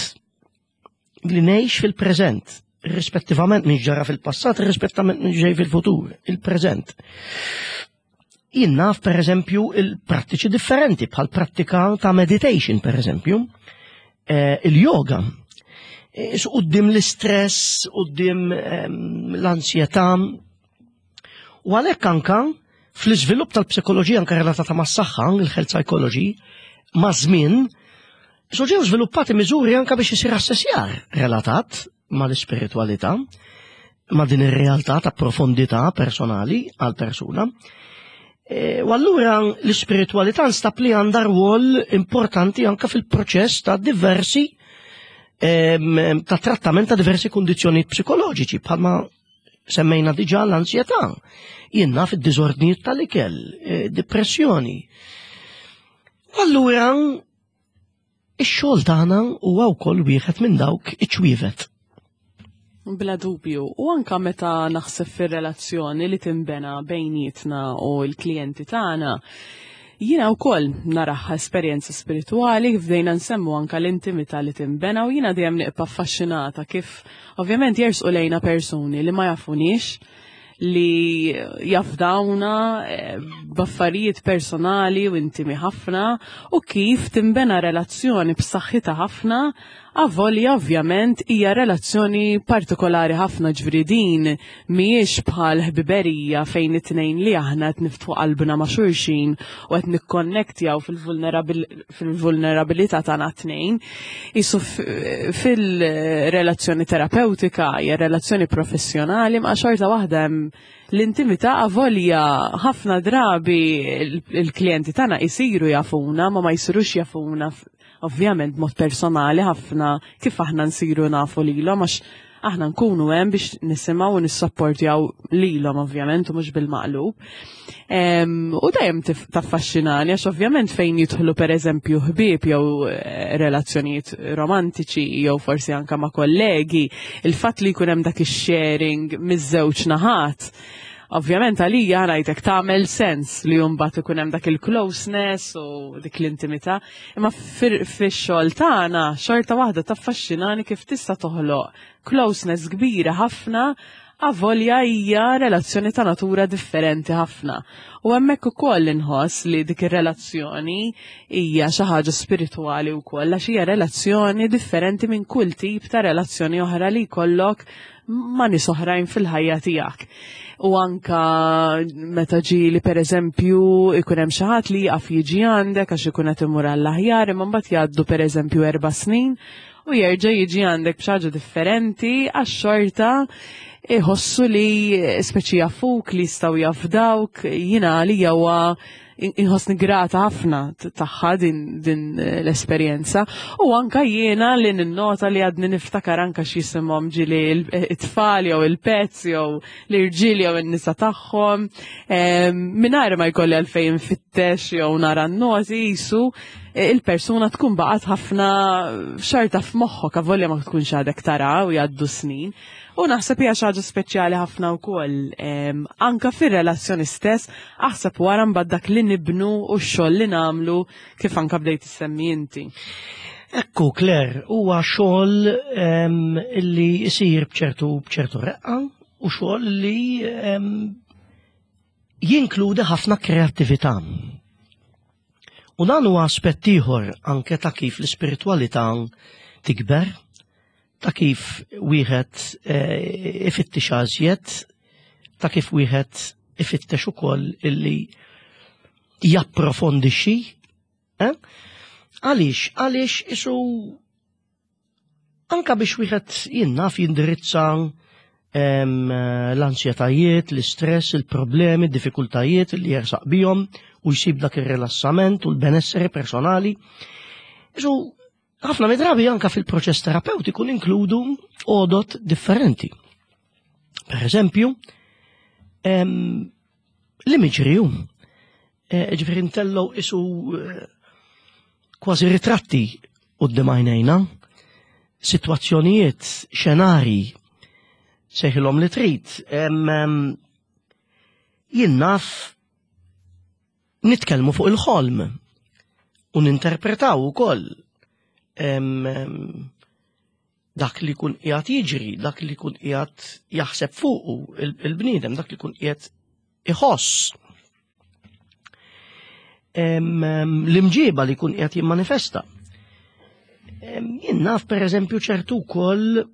li ngħix fil-preżent, rispettivament minn ġara fil-passat, rispettivament minn ġej fil-futur, il-preżent. Jien naf, per eżempju, il-prattiċi differenti, bħal prattika ta' meditation, per eżempju, il-yoga. Su quddiem l-istress, quddiem l-ansjetà. U għalhekk anka fl-iżvilupp tal-psikoloġija anka relatata mas-saħħa, il-health psychology, ma' żmien, so ġew żviluppati miżuri anka biex isir assessjar relatat. mal-ispiritwalità, ma' din ir-realtà ta' profondità personali għal persuna. E, u allura l-ispiritwalità nstab li għandha rwol importanti anka fil-proċess ta' diversi ta' trattament ta' diversi kundizzjonijiet psikoloġiċi bħalma semmejna diġà l-ansjetà, jien naf id-diżordnijiet tal-ikel, e, depressjoni. Allura Ix-xogħol tagħna huwa wkoll wieħed minn dawk iċ-ċwievet. Bla dubju, u anka meta naħseb fir-relazzjoni li tinbena bejnietna u l-klijenti tagħna, jiena wkoll naraħħa esperjenza spiritwali kif bdejna nsemmu anka l-intimità li tinbena u jiena dejjem niqpa' affaxxinata kif ovvjament jersqu lejna persuni li ma jafuniex li jafdawna eh, b'affarijiet personali u intimi ħafna u kif timbena relazzjoni b'saħħitha ħafna avolja ovvjament hija relazzjoni partikolari ħafna ġifieri din mhijiex bħal ħbiberija fejn it-tnejn li aħna qed niftħu qalbna ma' xulxin u qed nikkonnektjaw fil-vulnerabilità tagħna t-tnejn. Isu fil-relazzjoni terapeutika hija relazzjoni professjonali ma' xorta waħda hemm l-intimità avolja ħafna drabi il-klijenti tagħna jsiru jafuna ma ma jsirux jafuna ovvjament mod personali ħafna kif aħna nsiru nafu lilhom għax aħna nkunu hemm biex nisimgħu u nissapportjaw lilhom ovvjament u mhux bil-maqlub. U dejjem taffaxxinani għax ovvjament fejn jidħlu pereżempju ħbieb jew eh, relazzjonijiet romantiċi jew forsi anka ma' kollegi, il-fatt li jkun hemm dak ix-sharing miż-żewġ naħat Ovvjament għalija ngħidlek tagħmel sens li mbagħad ikun hemm dak il-closeness u dik l-intimità, imma fix-xogħol tagħna xorta waħda taffaxxinani kif tista' toħloq closeness kbira ħafna avolja hija relazzjoni ta' natura differenti ħafna. U hemmhekk ukoll inħoss li dik ir-relazzjoni hija xi ħaġa spiritwali wkoll għax hija relazzjoni differenti minn kull tip ta' relazzjoni oħra li jkollok ma' nies oħrajn fil-ħajja tiegħek. U anka meta ġieli pereżempju ikun hemm xi ħadd li jaqaf jiġi għandek għax ikun qed imur għall-aħjar imma mbagħad jgħaddu pereżempju erba' snin u jerġa' jiġi għandek b'xi ħaġa differenti għax xorta iħossu li speċi jafuk li jistgħu jafdawk jiena għalija huwa inħossni grata ħafna tagħha din, din l-esperjenza u anka jiena li ninnota li għadni niftakar anka x'jisimhom ġili it-tfal jew il-pets jew l-irġiel jew in-nisa tagħhom mingħajr ma jkolli għalfejn nfittex jew nara n-noti jisu il-persuna tkun baqgħet ħafna xorta f'moħħok avolja ma tkunx għadek tara u jgħaddu snin. U naħseb hija xi ħaġa speċjali ħafna wkoll anka fir-relazzjoni stess, aħseb wara mbagħad dak li nibnu u x-xogħol li nagħmlu kif anka bdejt issemmi inti. Ekku, Claire, huwa xogħol illi jsir bċertu bċertu reqqa u xogħol li jinkludi ħafna kreattività. U dan huwa aspett ieħor anke ta' kif l-ispiritwalità tikber, ta' kif wieħed eh, ifittix għażjed, ta' kif wieħed ifittex ukoll illi japprofondixxi. Eh? Għaliex, għaliex isu anka biex wieħed jinnaf jindirizza l-ansjetajiet, l-istress, il-problemi, diffikultajiet li jersaq bihom u jsib dak ir-rilassament u l-benesseri personali. Isu ħafna midrabi anka fil-proċess terapeutiku ninkludu għodot differenti. Per eżempju, l-imagery eh, ġifieri ntellgħu isu eh, kważi ritratti quddiem għajnejna, sitwazzjonijiet, xenari, sejħilhom li trid. Jien naf nitkellmu fuq il-ħolm u ninterpretaw ukoll dak li jkun qiegħed jiġri, dak li jkun qiegħed jaħseb fuqu il-bniedem, dak li jkun qiegħed iħoss. L-imġiba li jkun qiegħed jimmanifesta. Jien naf pereżempju ċertu wkoll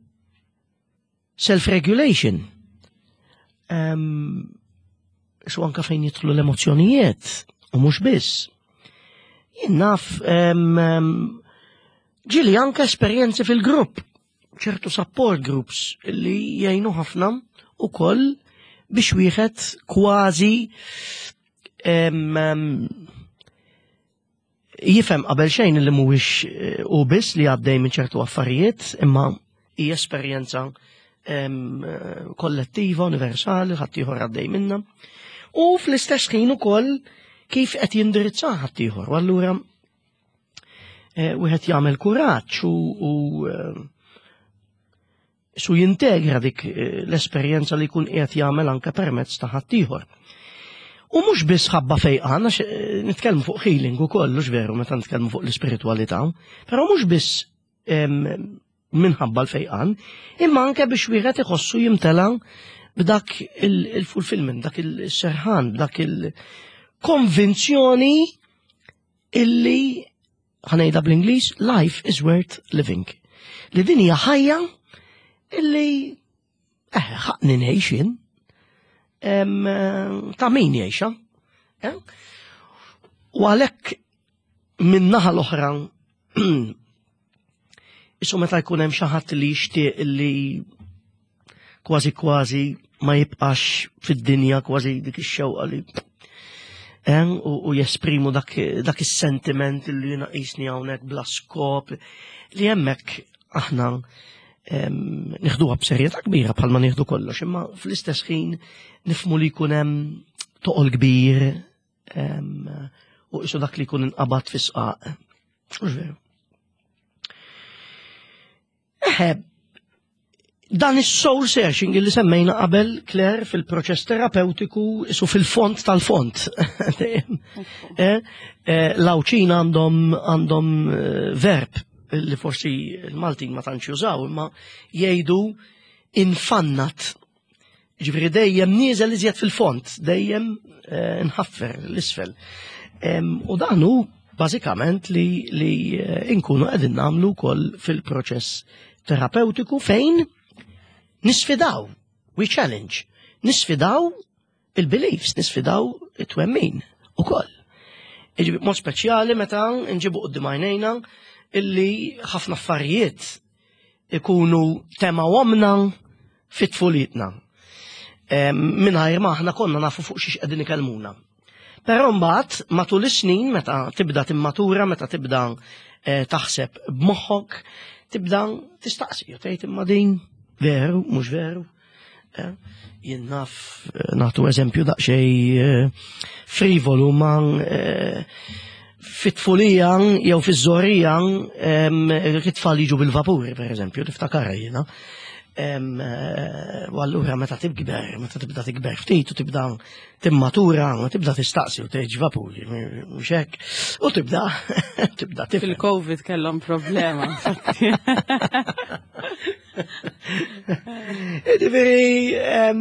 self-regulation. Su anka fejn jidħlu l-emozzjonijiet u mhux biss. Jien naf ġieli anka esperjenzi fil-grupp. ċertu support groups li jgħinu ħafna ukoll biex wieħed kważi jifhem qabel xejn li mhuwiex eh, u biss li għaddej minn ċertu affarijiet, imma hija esperjenza kollettiva, universali, ħaddieħor għaddej minna. U fl-istess ħin ukoll kif qed jindirizza ħaddieħor. U allura eh, wieħed jagħmel kuraġġ u eh, su jintegra dik eh, l-esperjenza li jkun qiegħed jagħmel anke permezz ta' ħaddieħor. U mhux biss ħabba fejqan, għax eh, nitkellmu fuq healing ukoll, mhux veru meta nitkellmu fuq l-ispiritwalità, però mhux biss minħabba l-fejqan, imma anke biex wieħed iħossu jimtela b'dak il-fulfillment, dak il-serħan, b'dak il-konvinzjoni illi ħanejda bl-Ingliż, life is worth living. Li din hija ħajja illi eh, ħaqni ngħix jien. Ta' min jgħixha. Eh? U għalhekk minn naħa l-oħra Isu meta jkun hemm xi ħadd li jixtieq li kważi kważi ma jibqax fid-dinja kważi dik ix-xewqa li eh, u, jesprimu dak, dak is-sentiment li jiena qisni hawnhekk bla skop li hemmhekk aħna nieħduha b'serjetà kbira bħalma nieħdu kollox, imma fl-istess ħin nifmu li jkun hemm toqol kbir u isu dak li jkun inqabad fi sqaq. Mhux veru. Eħe, dan is-soul searching li semmejna qabel Claire fil-proċess terapeutiku isu fil-font tal-font. Eh, eh, L-Awċin għandhom għandhom eh, verb li forsi l-Maltin ma tantx jużaw, imma jgħidu infannat. Ġifieri dejjem nieżel iżjed fil-font, dejjem eh, nħaffer l-isfel. U dan hu bażikament li, li eh, nkunu qegħdin nagħmlu wkoll fil-proċess terapeutiku fejn nisfidaw, we challenge, nisfidaw il-beliefs, nisfidaw it-twemmin ukoll. Iġibi mod speċjali meta nġibu qudiem għajnejna illi ħafna affarijiet ikunu tema omna fit-tfulitna. Mingħajr ma aħna konna nafu fuq xiex qegħdin ikellmuna. Però mbagħad matul is-snin meta tibda timmatura, meta tibda eh, taħseb b'moħħok, tibda tistaqsi u tgħid imma din veru, mhux veru. Eh, jien naf eh, nagħtu eżempju daqsxejn eh, frivolu ma fit-tfulija jew fiż-żorija it-tfal jiġu bil-vapuri pereżempju, niftakar jiena. U allura meta tibgber, meta tibda tikber ftit u tibda timmatura, ma tibda tistaqsi u tgħid vapuri, mhux hekk. U tibda tibda tifhem. Fil-Covid kellhom problema, infatti. Ġifieri, eh,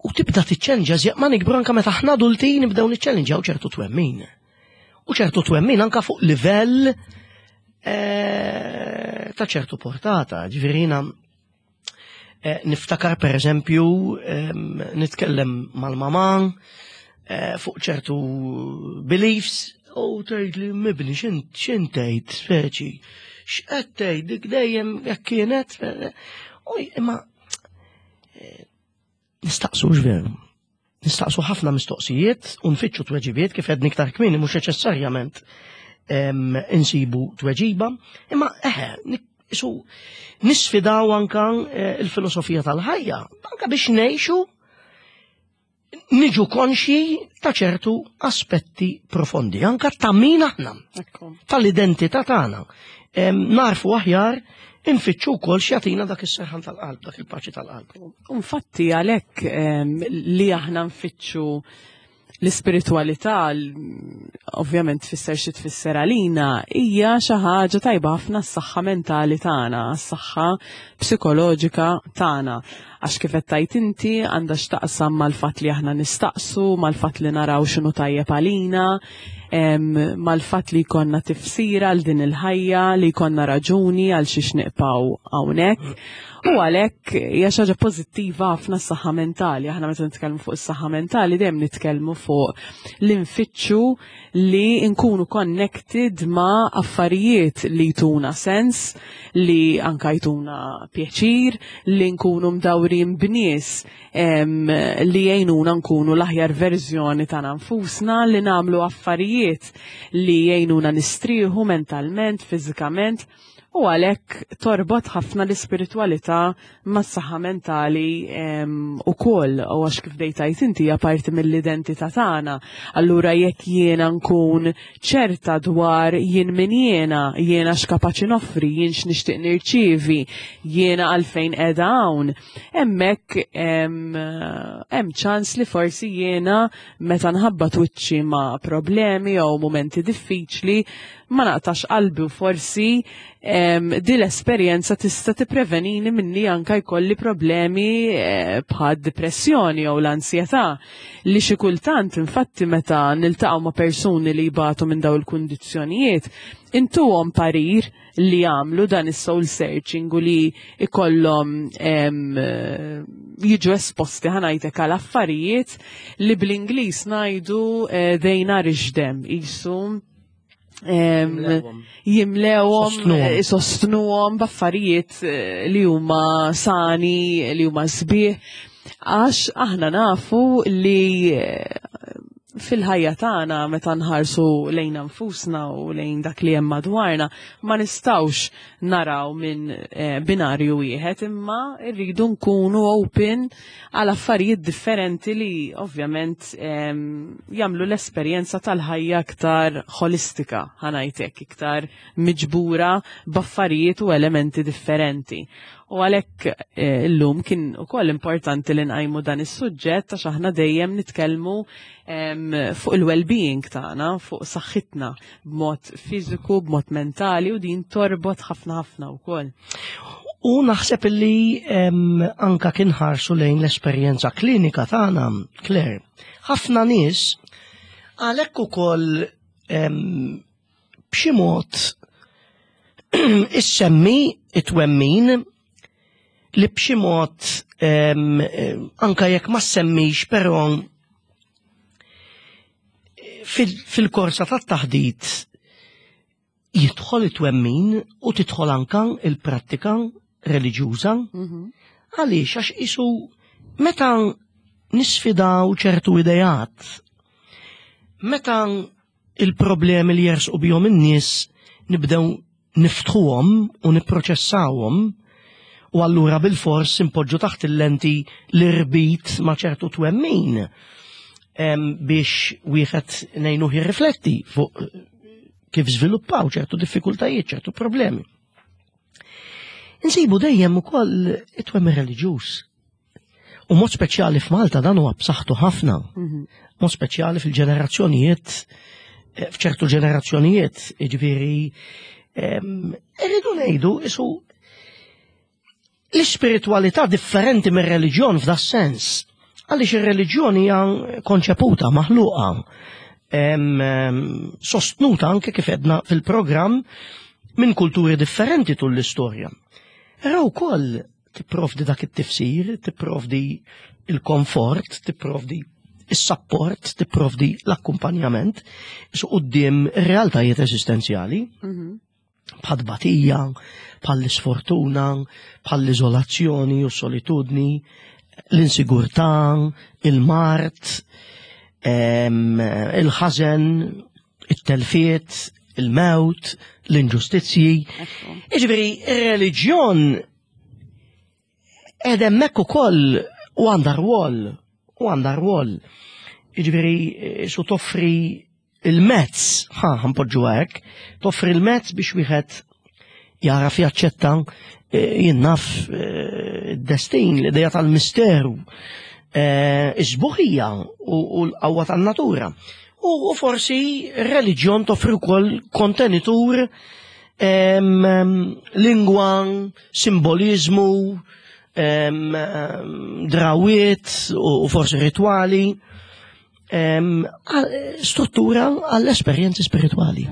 u tibda tiċċellinġa żjaq ma nikbru anke meta aħna adulti nibdew niċċellinġaw ċertu twemmin. U ċertu twemmin anka fuq livell eh, ta' ċertu portata. Ġifieri eh, niftakar per eżempju nitkellem mal-mama eh, fuq ċertu beliefs u tgħid li mibni x'int tgħid speċi x'qed tgħid dik dejjem jekk kienet imma Nistaqsu veru. Nistaqsu ħafna mistoqsijiet u nfittxu tweġibiet kif għedni iktar kmieni mhux neċessarjament insibu tweġiba, imma eħe, isu nisfidaw anka eh, il-filosofija tal-ħajja, anka biex ngħixu niġu konxji ta' ċertu aspetti profondi, anka ta' min aħna, tal-identità tagħna. Narfu aħjar infittxu wkoll x'jagħtina dak is-serħan tal-qalb, dak il-paċi tal-qalb. Infatti għalhekk li aħna nfittxu l-ispiritualità ovvjament tfisser xi tfisser għalina hija xi ħaġa tajba ħafna s-saħħa mentali tagħna, s-saħħa psikoloġika tagħna. Għax kif qed tgħid inti għandha x'taqsam mal-fatt li aħna nistaqsu, mal-fatt li naraw x'inhu tajjeb għalina. mal-fatt li jkollna tifsira għal din il-ħajja, li jkollna raġuni għal xiex niqpaw hawnhekk. U għalhekk hija xi ħaġa pożittiva ħafna s-saħħa mentali. Aħna meta nitkellmu fuq is-saħħa mentali dejjem nitkellmu fuq l-infittxu li nkunu connected ma' affarijiet li jtuna sens, li anka jtuna pjaċir, li nkunu mdawrin b'nies li jgħinuna nkunu l-aħjar verżjoni tagħna nfusna, li nagħmlu affarijiet li jgħinuna nistrieħu mentalment, fiżikament. U għalhekk torbot ħafna l-ispiritwalità mas-saħħa mentali ukoll, u għax kif bdejt tgħid inti hija parti mill-identità tagħna. Allura jekk jiena nkun ċerta dwar jien min jiena, jiena x'kapaċi noffri, jien x'nixtieq nirċievi, jiena għalfejn qiegħda hawn, hemmhekk hemm ċans li forsi jiena meta nħabbat wiċċi ma' problemi jew mumenti diffiċli ma naqtax qalbi u forsi di l-esperjenza tista' tipprevenini minni anka jkolli problemi bħal depressjoni jew l-ansjetà li xi kultant infatti meta niltaqgħu ma' persuni li jbatu minn dawn il-kundizzjonijiet intuhom parir li jagħmlu dan is-soul searching u li ikollhom jiġu esposti ħa ngħidlek għal affarijiet li bl-Ingliż ngħidu they nourish them, qisu jimlewhom, sostnuhom b'affarijiet li huma sani, li huma sbieħ, għax aħna nafu li fil-ħajja tagħna meta nħarsu lejn nfusna u lejn dak li hemm madwarna ma nistgħux naraw minn binarju wieħed, imma rridu nkunu open għal affarijiet differenti li ovvjament jagħmlu l-esperjenza tal-ħajja aktar holistika, ħa ngħidlek, iktar miġbura b'affarijiet u elementi differenti. U għalhekk illum kien ukoll importanti li nqajmu dan is-suġġett għax aħna dejjem nitkellmu fuq il-well-being tagħna, fuq saħħitna b'mod fiżiku, b'mod mentali, u din torbot ħafna ħafna wkoll. U naħseb li anka kien ħarsu lejn l-esperjenza klinika tagħna, Claire. Ħafna nies għalhekk ukoll b'xi mod issemmi it-twemmin li b'xi mod anka jekk ma semmix, però fil-korsa tat-taħdit jidħol it-twemmin u tidħol anka il-prattika reliġjuża. Għaliex? Għax isu meta nisfidaw ċertu idejat, meta il-problemi li jersqu bihom in-nies nibdew niftħuhom u nipproċessawhom, u allura bil-fors impoġġu taħt il-lenti l-irbit ma' ċertu twemmin biex wieħed ngħinuh jirrifletti fuq kif żviluppaw ċertu diffikultajiet, ċertu problemi. Insibu dejjem ukoll it-twemmin reliġjuż. U mod speċjali f'Malta dan huwa b'saħħtu ħafna. Mod speċjali fil-ġenerazzjonijiet, f'ċertu ġenerazzjonijiet, jiġifieri, irridu ngħidu isu l-ispiritualità differenti mir-reliġjon f'da sens. Għaliex ir-reliġjon hija konċeputa, maħluqa, sostnuta anke kif edna fil-programm minn kulturi differenti tul l-istorja. Però wkoll tipprovdi dak it-tifsir, tipprovdi il-komfort, tipprovdi is-support, tipprovdi l-akkumpanjament su quddiem realtajiet eżistenzjali. Bħal batija, bħal l-isfortuna, bħal l-iżolazzjoni u solitudni, l-insigurtà, il-mard, il-ħażen, it-telfiet, il-mewt, l-inġustizzji. Jiġifieri, ir-reliġjon qed hemmhekk ukoll u għandha rwol, u għandha rwol. Jiġifieri, su toffri il-mezz, ħa npoġġu hekk, toffri il-mezz biex wieħed jaraf jaċċetta jinnaf id-destin, l-idea tal-misteru, is-sbuħija u l-qawwa tan-natura. U forsi r-reliġjon toffri wkoll kontenitur, lingwa, simbolizmu, drawiet u forsi rituali. Struttura għall-esperjenzi spiritwali.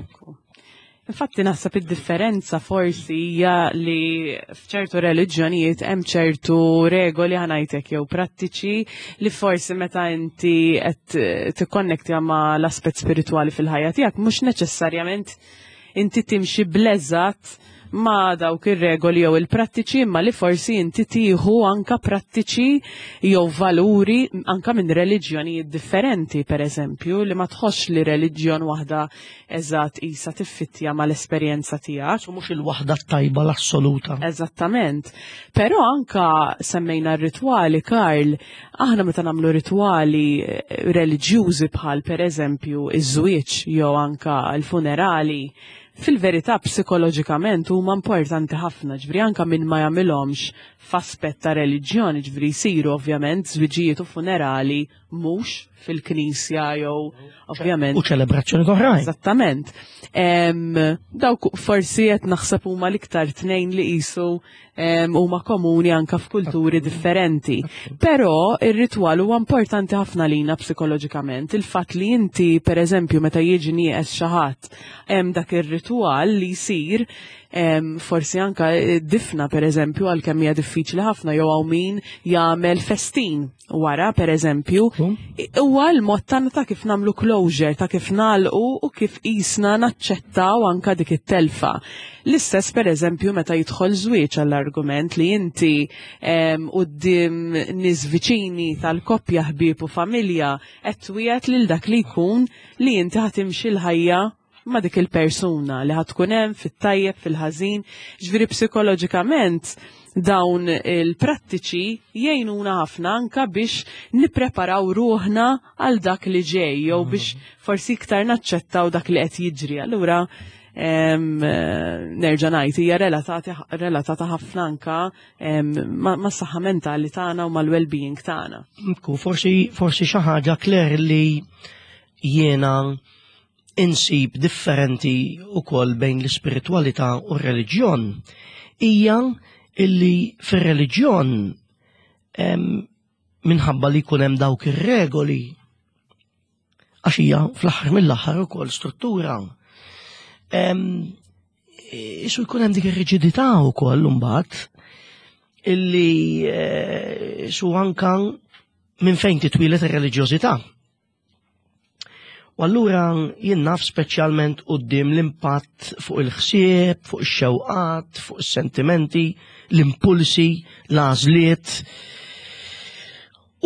Infatti naħseb id-differenza forsi hija li f'ċertu reliġjonijiet hemm ċertu regoli ħanajtek jew prattiċi li forsi meta inti qed tikkonnektja ma' l-aspett spiritwali fil-ħajja tiegħek mhux neċessarjament inti timxi bleżat ma' dawk ir-regoli jew il-prattiċi imma li forsi inti tieħu anka prattiċi jew valuri anka minn reliġjonijiet differenti, per eżempju, li ma tħossx li reliġjon waħda eżatt isa tiffittja mal-esperjenza tiegħek. U mhux il-waħda tajba l-assoluta. Eżattament. Però anka semmejna r-ritwali, Karl, aħna meta nagħmlu ritwali reliġjużi bħal per eżempju iż-żwieġ jew anka l-funerali, fil-verità psikoloġikament huma importanti ħafna, ġifieri anka min ma jagħmilhomx f'aspett ta' reliġjoni, ġifieri jsiru ovvjament żwiġijiet u funerali mhux fil-knisja jew ovvjament. U ċelebrazzjoni oħrajn. Eżattament. Dawk forsi qed naħseb huma l-iktar tnejn li qisu huma komuni anka f'kulturi differenti. Però ir-ritwal huwa importanti ħafna lina psikoloġikament. Il-fatt li inti pereżempju meta jiġi nieqes xi ħadd hemm dak ir-ritwal li jsir forsi anka difna pereżempju għalkemm hija diffiċli ħafna jew hawn min jagħmel festin wara pereżempju. Huwa l-mod tagħna ta' kif nagħmlu closure, ta' kif nagħlqu u kif qisna naċċettaw anka dik it-telfa. L-istess pereżempju meta jidħol żwieġ għall-argument li inti quddiem nies viċini tal-koppja ħbieb u familja qed twiegħed lil dak li jkun li inti ħa timxi l-ħajja ma' dik il-persuna li ħa tkun hemm fit-tajjeb, fil-ħażin. Ġifieri psikoloġikament dawn il-prattiċi jgħinuna ħafna anka biex nippreparaw ruħna għal dak li ġej jew biex forsi iktar naċċettaw dak li qed jiġri. Allura nerġa' ngħid hija relatata ħafna anka mas-saħħa mentali tagħna u mal-well-being tagħna. Ku forsi xi ħaġa Claire li jiena insib differenti ukoll bejn l-ispiritwalità u r-reliġjon hija illi fir-reliġjon minħabba li jkun hemm dawk ir-regoli għax hija fl-aħħar mill-aħħar ukoll struttura. Isu jkun hemm dik ir-riġidità wkoll imbagħad illi su anka minn fejn titwilet ir-reliġjożità. U allura jien naf speċjalment quddiem l-impatt fuq il-ħsieb, fuq ix-xewqat, fuq is-sentimenti, l-impulsi, l-għażliet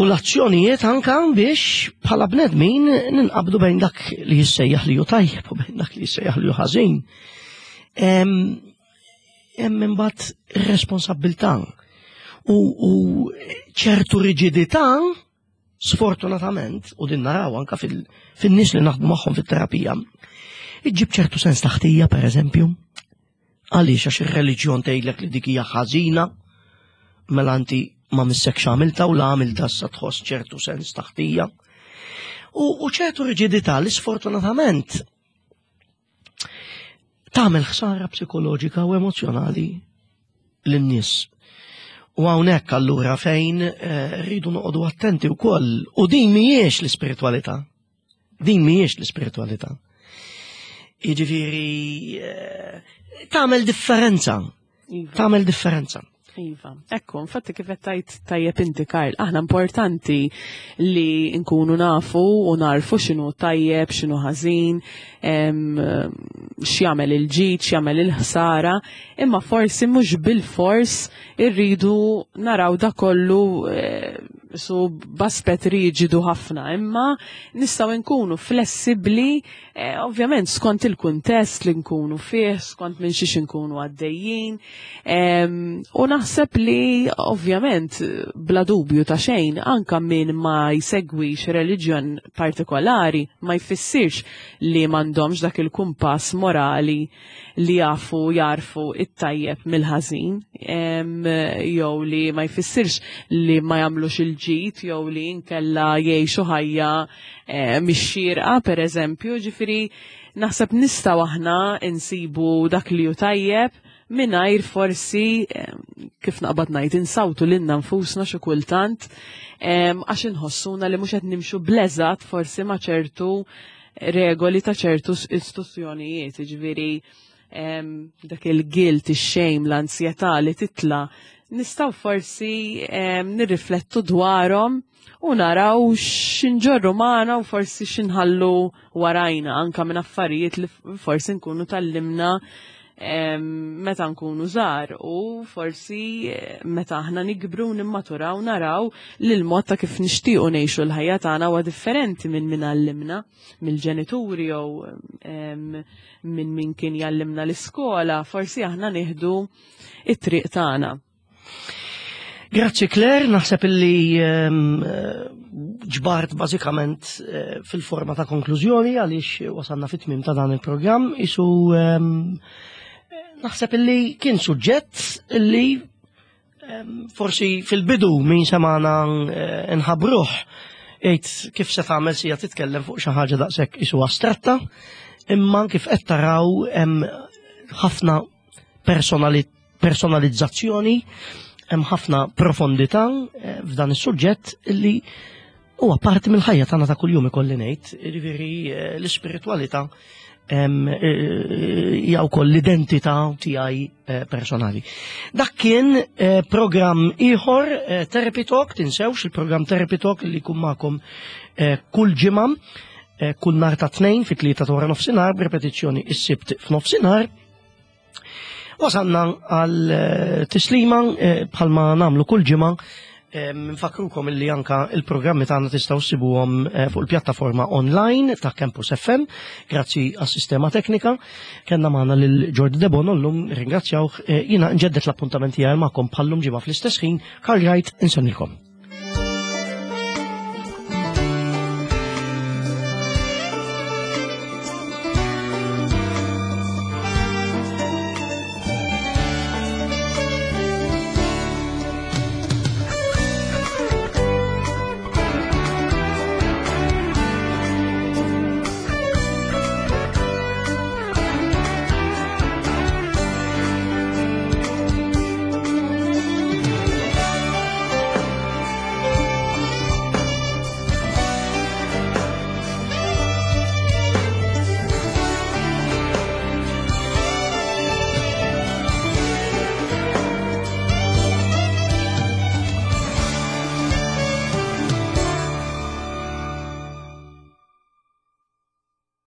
u l-azzjonijiet anka biex bħala bnedmin ninqabdu bejn dak li jissejjaħ li hu tajjeb u bejn dak li jissejjaħ li hu ħażin. Hemm imbagħad ir-responsabbiltà u ċertu riġidità sfortunatament, u din naraw anka fin-nies li naħdmu magħhom fit-terapija, iġġib ċertu sens ta' ħtija, per eżempju, għaliex għax ir-reliġjon tgħidlek li dik hija ħażina, mela inti ma missekx għamilta u la għamilta issa tħoss ċertu sens ta' ħtija. U ċertu riġidità li sfortunatament tagħmel ħsara psikoloġika u emozjonali lin-nies. U hawnhekk allura fejn rridu noqogħdu attenti wkoll. U din mhijiex l-ispiritwalità. Din mhijiex l-ispiritwalità. Jiġifieri tagħmel differenza. Tagħmel differenza. Iva, ekku, infatti kif qed tgħid tajjeb inti Karl, aħna importanti li nkunu nafu u narfu x'inhu tajjeb, x'inhu ħażin, x'jagħmel il-ġid, x'jagħmel il-ħsara, imma forsi mhux bil-fors irridu naraw da kollu su b'aspett riġidu ħafna, imma nistgħu nkunu flessibbli, ovvjament skont il-kuntest li nkunu fih, skont minn xiex nkunu għaddejjin. U naħseb li ovvjament bla dubju ta' xejn anka min ma jsegwix reliġjon partikolari ma jfissirx li m'għandhomx dak il-kumpass morali li jafu jarfu it-tajjeb mill-ħażin, jew li ma jfissirx li ma jagħmlux il-ġid jew li nkella jgħixu ħajja mix-xierqa pereżempju, ġifieri naħseb nistgħu aħna insibu dak li hu tajjeb mingħajr forsi kif naqbad ngħid insawtu lilna nfusna xi kultant għax inħossuna li mhux qed nimxu bleżat forsi ma' ċertu regoli ta' ċertu istituzzjonijiet, jiġifieri dak il-guilt, ix-shame, l-ansjetà li titla' nistgħu forsi nirriflettu dwarhom u naraw x'inġorru magħna u forsi x'inħallu warajna anka minn affarijiet li forsi nkunu tallimna meta nkunu żgħar u forsi eh, meta aħna nikbru nimmaturaw naraw li l-mod ta' kif nixtiequ ngħixu l-ħajja tagħna huwa differenti minn min għallimna mill-ġenituri jew minn min kien jgħallimna l-iskola, forsi aħna nieħdu it-triq tagħna. Grazzi Claire, naħseb illi ġbart bażikament eh, fil-forma ta' konklużjoni għaliex wasalna fit-tmim ta' dan il-programm isu naħseb illi kien suġġett illi forsi fil-bidu min semana eh, nħabruh jgħid kif se tagħmel sija titkellem fuq xi ħaġa daqshekk isu astratta, imma kif qed taraw hemm ħafna personalizzazzjoni, hemm ħafna profondità eh, f'dan is-suġġett li huwa parti mill-ħajja tagħna ta' kuljum ikolli ngħid, jiġifieri eh, l-ispiritwalità eh, hija wkoll l-identità tiegħi personali. Dak kien programm ieħor Therapy Talk, tinsewx il-programm Therapy Talk li jkun magħkom kull ġimgħa kull nhar ta' tnejn fit-tlieta ta' wara nofsinhar b'repetizzjoni is-sibt f'nofsinhar. Wasalna għal eh, tislima eh, bħalma namlu kull ġimgħa eh, nfakrukom illi anka il-programmi tagħna tistgħu ssibuhom fuq il-pjattaforma online ta' Campus FM grazzi għas-sistema teknika. Kellna magħna lil Jordi Debono llum ringrazzjawh jiena nġeddet l-appuntament tiegħi magħkom bħallum ġimgħa fl-istess ħin Karl Wright insennilkom.